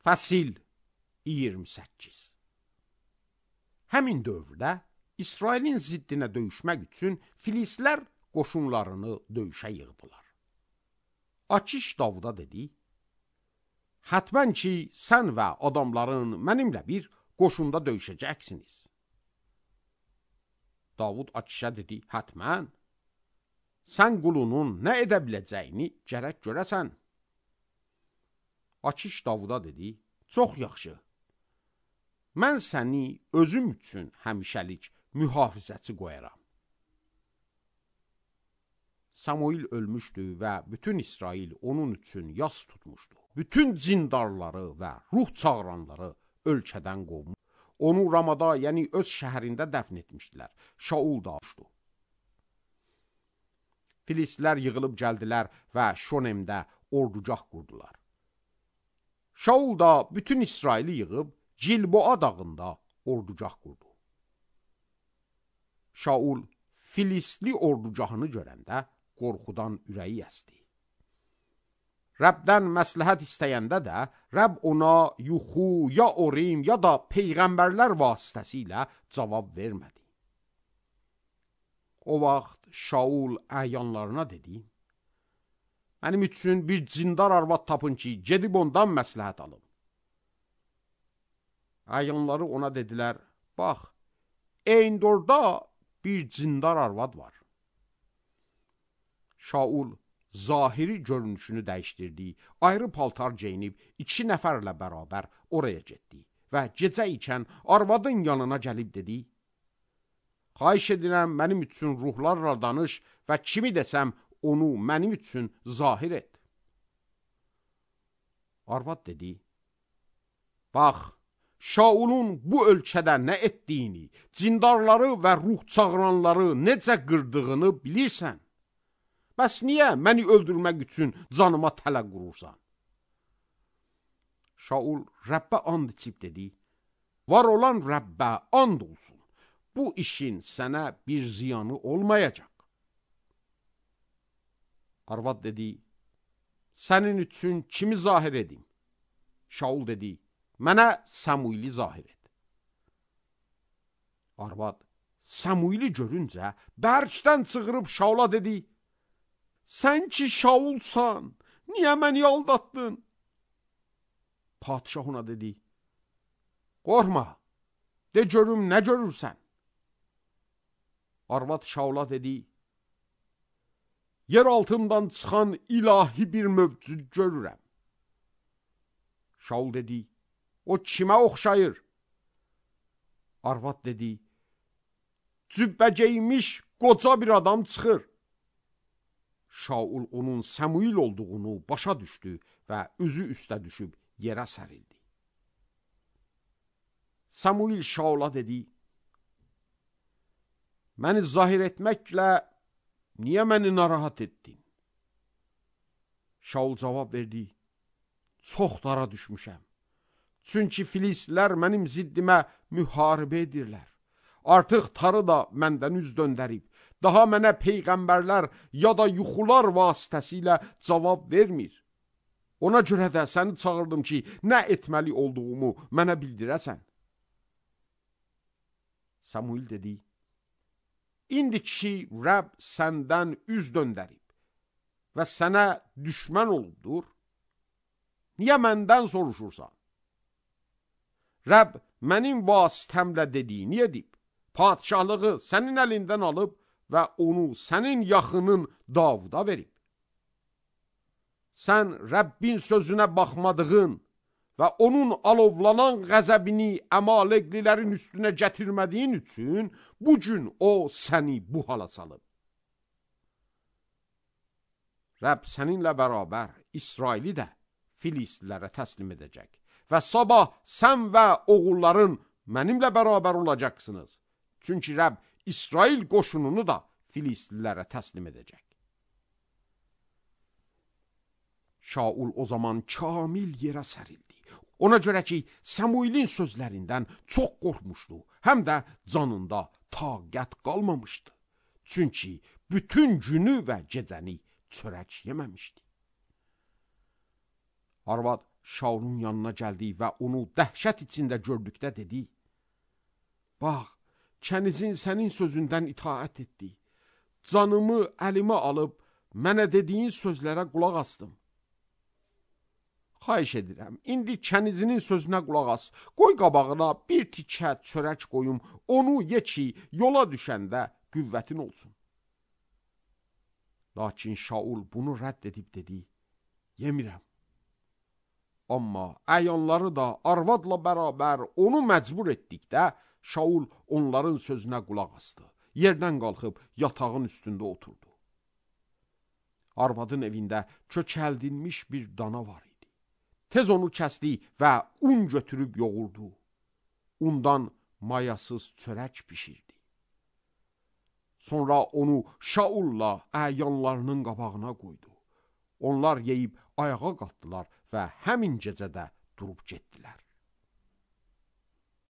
Fəsil 28. Həmin dövrdə İsrailin ziddinə döyüşmək üçün Filistlər qoşunlarını döyüşə yığdılar. Akiş Davuda dedi: "Hətmən ki, sən və adamların mənimlə bir qoşunda döyüşəcəksiniz." Davud Akişə dedi: "Hətmən. Sən qulunun nə edə biləcəyini gərək görəsən." Akiş Davuda dedi: "Çox yaxşı. Mən səni özüm üçün həmişəlik mühafizəçi qoyaram." Samuil ölmüşdü və bütün İsrail onun üçün yas tutmuşdu. Bütün zindarları və ruh çağıranları ölkədən qovmuş. Onu Ramada, yəni öz şəhərində dəfn etmişdilər. Şaul da uçdu. Filistlər yığılıb gəldilər və Şonemdə ordugah qurdular. Şaul da bütün İsraili yığıb Gilboa dağında ordugah qurdu. Şaul Filistli ordugahını görəndə qorxudan ürəyi əsdi. Rəbdən məsləhət istəyəndə də Rəbb ona yuxu, ya Orim, ya da peyğəmbərlər vasitəsilə cavab vermədi. O vaxt Şaul əyanlarına dedi: "Mənim üçün bir cindar arvad tapın ki, gedib ondan məsləhət alım." Əyanları ona dedilər: "Bax, Endorda bir cindar arvad var." Şaul zahiri görünüşünü dəyişdirdi, ayrı paltar geyinib 2 nəfərlə bərabər oraya getdi və gecə ikən arvadın yanına gəlib dedi: "Xahiş edirəm, mənim üçün ruhlarla danış və kimi desəm onu mənim üçün zahir et." Arvad dedi: "Bax, Şaulun bu ölkədə nə etdiyini, cindarları və ruh çağıranları necə qırdığını bilirsən. Bəs niyə məni öldürmək üçün canıma tələ qurursan?" Şaul Rəbbə and içib dedi: "Var olan Rəbbə and olsun, bu işin sənə bir ziyanı olmayacaq." Arvad dedi: "Sənin üçün kimi zahir edim?" Şaul dedi: "Mənə Samuili zahir et." Arvad Samuili görüncə bərkdən çığırıb Şaula dedi: "Sən ki Şaulsan, niyə məni aldatdın?" Padişah ona dedi: "Qorxma, de görüm nə görürsən?" Arvad Şaula dedi: "Yer altından çıxan ilahi bir mövcud görürəm." Şaul dedi: "O kimə oxşayır?" Arvad dedi: "Cübbə geymiş qoca bir adam çıxır." Şaul onun Samuil olduğunu başa düşdü və üzü üstə düşüb yerə sərildi. Samuil Şaula dedi: "Məni zahir etməklə niyə məni narahat etdin?" Şaul cavab verdi: "Çox dara düşmüşəm. Çünki Filistlər mənim ziddimə müharibə edirlər. Artıq tarı da məndən üz döndərib. Daha mənə peyğəmbərlər ya da yuxular vasitəsilə cavab vermir. Ona görə də səni çağırdım ki, nə etməli olduğumu mənə bildirəsən." Samuil dedi: "İndi ki, Rəbb səndən üz döndərib və sənə düşmən olubdur, niyə məndən soruşursan? Rəbb mənim vasitəmlə dediyini edib, padişahlığı sənin əlindən alıb və onu sənin yaxının Davuda verib. Sən Rəbbin sözünə baxmadığın və onun alovlanan qəzəbini Əmaleqlilərin üstünə gətirmədiyin üçün bu gün o səni bu hala salıb. Rəbb səninlə bərabər İsraili də Filistlilərə təslim edəcək və sabah sən və oğulların mənimlə bərabər olacaqsınız. Çünki Rəbb İsrail qoşununu da Filistlilərə təslim edəcək." Şaul o zaman kamil yerə sərildi. Ona görə ki, Samuilin sözlərindən çox qorxmuşdu, həm də canında taqət qalmamışdı. Çünki bütün günü və gecəni çörək yeməmişdi. Arvad Şaulun yanına gəldi və onu dəhşət içində gördükdə dedi: Bax, kənizin sənin sözündən itaət etdi. Canımı əlimə alıb, mənə dediyin sözlərə qulaq asdım. Xahiş edirəm, indi kənizinin sözünə qulaq as. Qoy qabağına bir tikə çörək qoyum, onu ye ki, yola düşəndə qüvvətin olsun. Lakin Şaul bunu rədd edib dedi: Yemirəm. Amma əyanları da arvadla bərabər onu məcbur etdikdə, Şaul onların sözünə qulaq asdı. Yerdən qalxıb yatağın üstündə oturdu. Arvadın evində kökəldilmiş bir dana var idi. Tez onu kəsdi və un götürüb yoğurdu. Undan mayasız çörək pişirdi. Sonra onu Şaulla əyanlarının qabağına qoydu. Onlar yeyib ayağa qalxdılar və həmin gecədə durub getdilər.